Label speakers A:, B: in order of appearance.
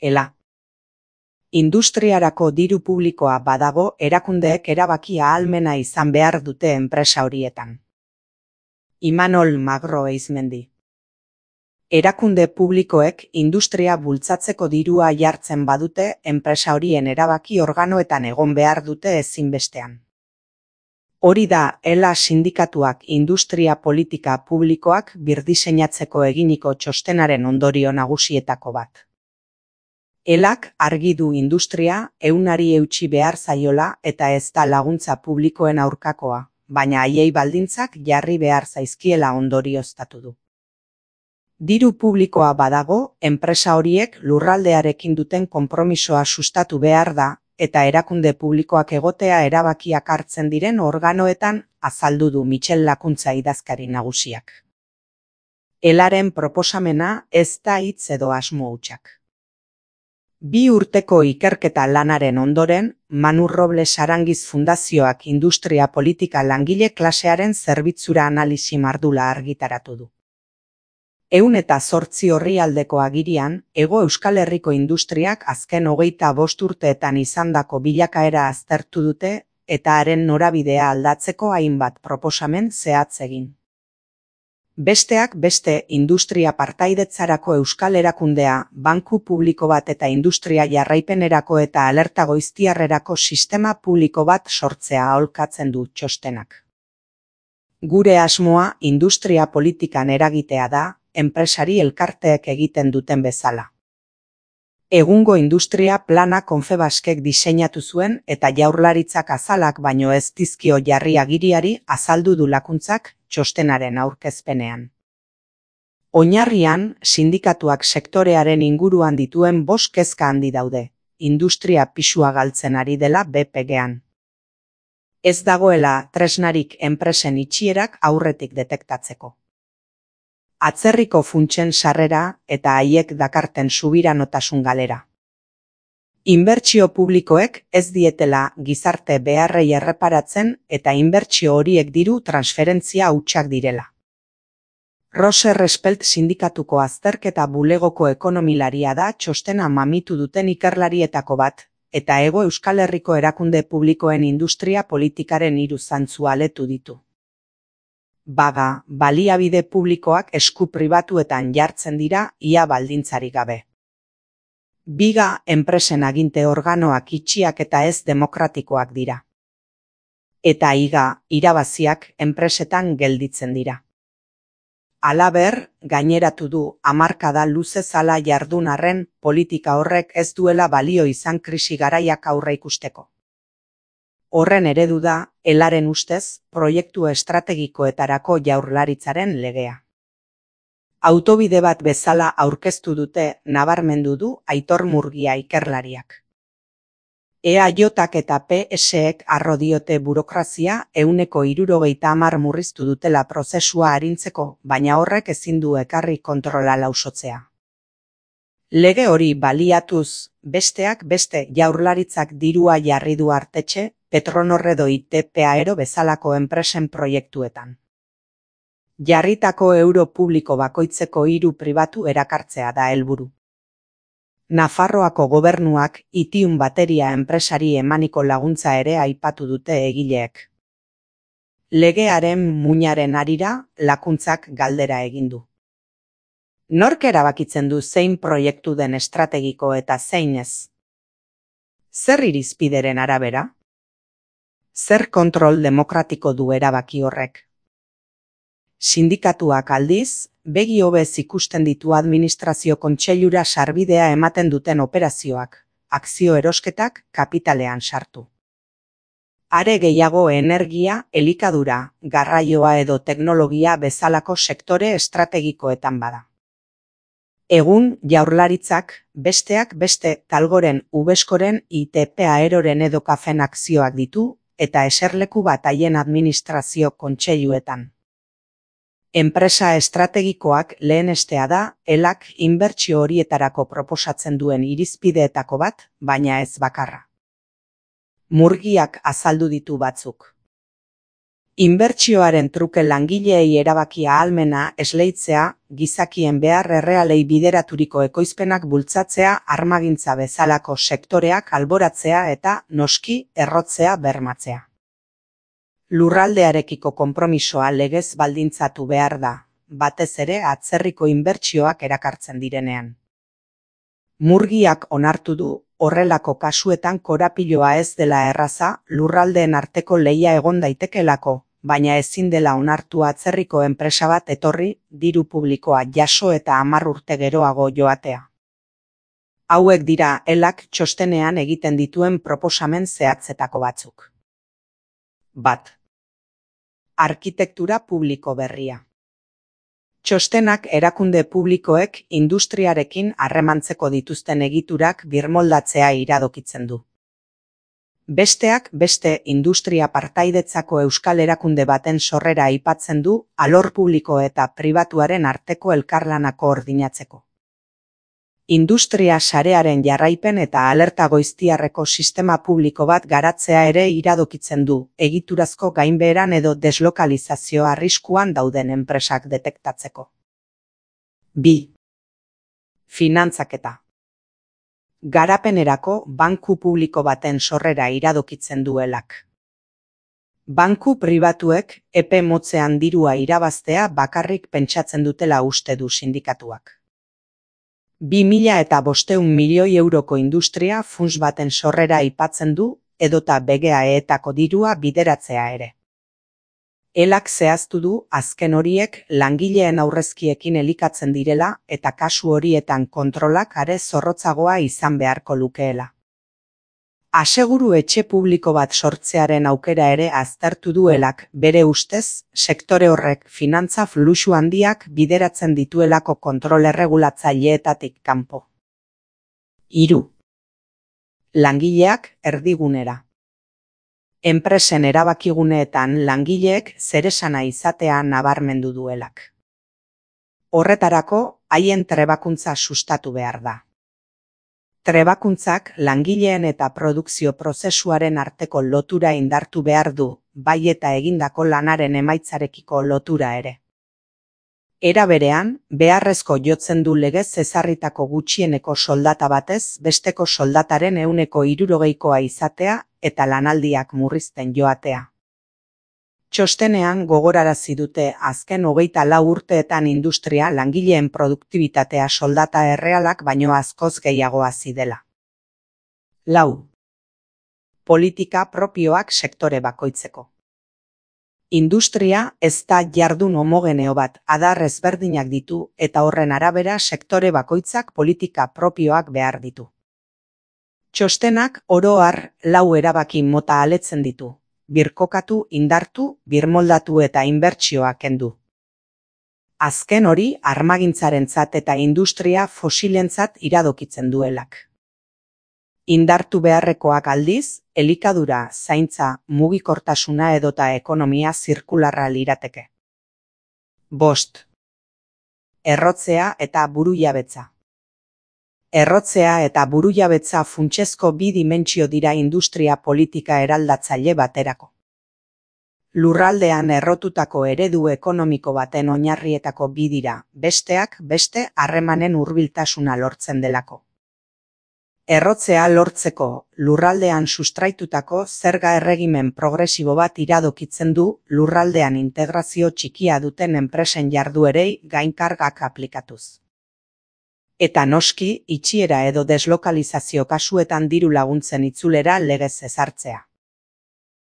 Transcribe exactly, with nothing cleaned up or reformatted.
A: Ela. Industriarako diru publikoa badago, erakundeek erabaki ahalmena izan behar dute enpresa horietan. Imanol Magro Eizmendi. Erakunde publikoek industria bultzatzeko dirua jartzen badute, enpresa horien erabaki organoetan egon behar dute ezinbestean. Hori da, Ela sindikatuak industria politika publikoak birdiseinatzeko eginiko txostenaren ondorio nagusietako bat. Elak argi du industria ehunari eutsi behar zaiola eta ez da laguntza publikoen aurkakoa, baina haiei baldintzak jarri behar zaizkiela ondorioztatu du. Diru publikoa badago, enpresa horiek lurraldearekin duten konpromisoa sustatu behar da, eta erakunde publikoak egotea erabakiak hartzen diren organoetan azaldu du Michel Lakuntza idazkari nagusiak. Elaren proposamena ez da hitz edo asmo hutsak. Bi urteko ikerketa lanaren ondoren, Manu Robles Arangiz Fundazioak industria politika langile klasearen zerbitzura analisi mardula argitaratu du. Ehun eta zortzi orrialdeko agirian, Hego Euskal Herriko industriak azken hogeita bost urteetan izandako bilakaera aztertu dute eta haren norabidea aldatzeko hainbat proposamen zehatz egin. Besteak beste industria partaidetzarako euskal erakundea, banku publiko bat eta industria jarraipenerako eta alerta goiztiarrerako sistema publiko bat sortzea aholkatzen du txostenak. Gure asmoa industria politikan eragitea da, enpresari elkarteek egiten duten bezala. Egungo industria plana Confebaskek diseinatu zuen eta Jaurlaritzak azalak baino ez dizkio jarri agiriari azaldu du Lakuntzak txostenaren aurkezpenean. Oinarrian, sindikatuak sektorearen inguruan dituen bost kezka handi daude, industria pisua galtzen ari dela B P G-an. Ez dagoela tresnarik enpresen itxierak aurretik detektatzeko. Atzerriko funtsen sarrera eta haiek dakarten subiranotasun galera. Inbertsio publikoek ez dietela gizarte beharrei erreparatzen eta inbertsio horiek diru transferentzia hutsak direla. Rose Respelt sindikatuko azterketa bulegoko ekonomilaria da txostena mamitu duten ikerlarietako bat, eta Hego Euskal Herriko erakunde publikoen industria politikaren hiru zantzu aletu ditu. Baga, baliabide publikoak esku pribatuetan jartzen dira ia baldintzarik gabe. Biga, enpresen aginte organoak itxiak eta ez demokratikoak dira. Eta higa, irabaziak enpresetan gelditzen dira. Halaber, gaineratu du hamarkada luze zala jardun arren politika horrek ez duela balio izan krisi garaiak aurre ikusteko. Horren eredu da, Elaren ustez, proiektu estrategikoetarako Jaurlaritzaren legea. Autobide bat bezala aurkeztu dute nabarmendu du Aitor Murgia ikerlariak. E A J-ak eta P S-ek arro diote burokrazia ehuneko hirurogeita hamar murriztu dutela prozesua arintzeko, baina horrek ezin du ekarri kontrola lausotzea. Lege hori baliatuz, besteak beste Jaurlaritzak dirua jarri du artetxe, Petronor edo I T P Aero bezalako enpresen proiektuetan. Jarritako euro publiko bakoitzeko hiru pribatu erakartzea da helburu. Nafarroako gobernuak Itium bateria enpresari emaniko laguntza ere aipatu dute egileek. Legearen muinaren harira Lakuntzak galdera egin du. Nork erabakitzen du zein proiektu den estrategiko eta zein ez? Zer irizpideren arabera? Zer kontrol demokratiko du erabaki horrek? Sindikatuak aldiz, begi hobez ikusten ditu administrazio kontseilura sarbidea ematen duten operazioak, akzio erosketak kapitalean sartu. Are gehiago energia, elikadura, garraioa edo teknologia bezalako sektore estrategikoetan bada. Egun, Jaurlaritzak, besteak beste Talgoren, Ubeskoren, I T P Aeroren edo Kafen akzioak ditu, eta eserleku bat haien administrazio kontseiluetan. Enpresa estrategikoak lehenestea da, Elak inbertsio horietarako proposatzen duen irizpideetako bat, baina ez bakarra. Murgiak azaldu ditu batzuk. Inbertsioaren truke langileei erabaki ahalmena esleitzea, gizakien behar errealei bideraturiko ekoizpenak bultzatzea, armagintza bezalako sektoreak alboratzea eta, noski, errotzea bermatzea. Lurraldearekiko konpromisoa legez baldintzatu behar da, batez ere atzerriko inbertsioak erakartzen direnean. Murgiak onartu du, horrelako kasuetan korapiloa ez dela erraza, lurraldeen arteko lehia egon daitekelako, baina ezin dela onartu atzerriko enpresa bat etorri, diru publikoa jaso eta hamar urte geroago joatea. Hauek dira elak txostenean egiten dituen proposamen zehatzetako batzuk. Bat. Arkitektura publiko berria. Txostenak erakunde publikoek industriarekin harremantzeko dituzten egiturak birmoldatzea iradokitzen du. Besteak beste industria partaidetzako euskal erakunde baten sorrera aipatzen du alor publiko eta pribatuaren arteko elkarlana koordinatzeko. Industria sarearen jarraipen eta alerta goiztiarreko sistema publiko bat garatzea ere iradokitzen du, egiturazko gainbeheran edo deslokalizazio arriskuan dauden enpresak detektatzeko. Bi. Finantzaketa. Garapenerako banku publiko baten sorrera iradokitzen duelak. Banku pribatuek epe motzean dirua irabaztea bakarrik pentsatzen dutela uste du sindikatuak. Bi mila eta bostehun milioi euroko industria funts baten sorrera aipatzen du, edota B G A E-etako dirua bideratzea ere. Elak zehaztu du azken horiek langileen aurrezkiekin elikatzen direla eta kasu horietan kontrolak are zorrotzagoa izan beharko lukeela. Aseguru etxe publiko bat sortzearen aukera ere aztertu duelak, bere ustez, sektore horrek finantza fluxu handiak bideratzen dituelako kontrol erregulatzaileetatik kanpo. Hiru. Langileak erdigunera. Enpresen erabakiguneetan langileek zeresana izatea nabarmendu duelak. Horretarako, haien trebakuntza sustatu behar da. Trebakuntzak langileen eta produkzio prozesuaren arteko lotura indartu behar du, bai eta egindako lanaren emaitzarekiko lotura ere. Era berean, beharrezko jotzen du legez ezarritako gutxieneko soldata batez besteko soldataren ehuneko hirurogeikoa izatea eta lanaldiak murrizten joatea. Txostenean gogorarazi dute azken hogeita lau urteetan industria langileen produktibitatea soldata errealak baino askoz gehiago hazi dela. Lau. Politika propioak sektore bakoitzeko. Industria ez da jardun homogeneo bat, adar ezberdinak ditu eta horren arabera sektore bakoitzak politika propioak behar ditu. Txostenak oro har lau erabaki mota aletzen ditu. Birkokatu, indartu, birmoldatu eta inbertsioa kendu. Azken hori armagintzarentzat eta industria fosilentzat iradokitzen duelak. Indartu beharrekoak aldiz, elikadura, zaintza, mugikortasuna edota ekonomia zirkularra lirateke. Bost. Errotzea eta burujabetza. Errotzea eta burujabetza funtsezko bi dimentsio dira industria politika eraldatzaile baterako. Lurraldean errotutako eredu ekonomiko baten oinarrietako bi dira, besteak beste harremanen hurbiltasuna lortzen delako. Errotzea lortzeko, lurraldean sustraitutako zerga erregimen progresibo bat iradokitzen du lurraldean integrazio txikia duten enpresen jarduerei gainkargak aplikatuz. Eta noski, itxiera edo deslokalizazio kasuetan diru laguntzen itzulera legez ezartzea.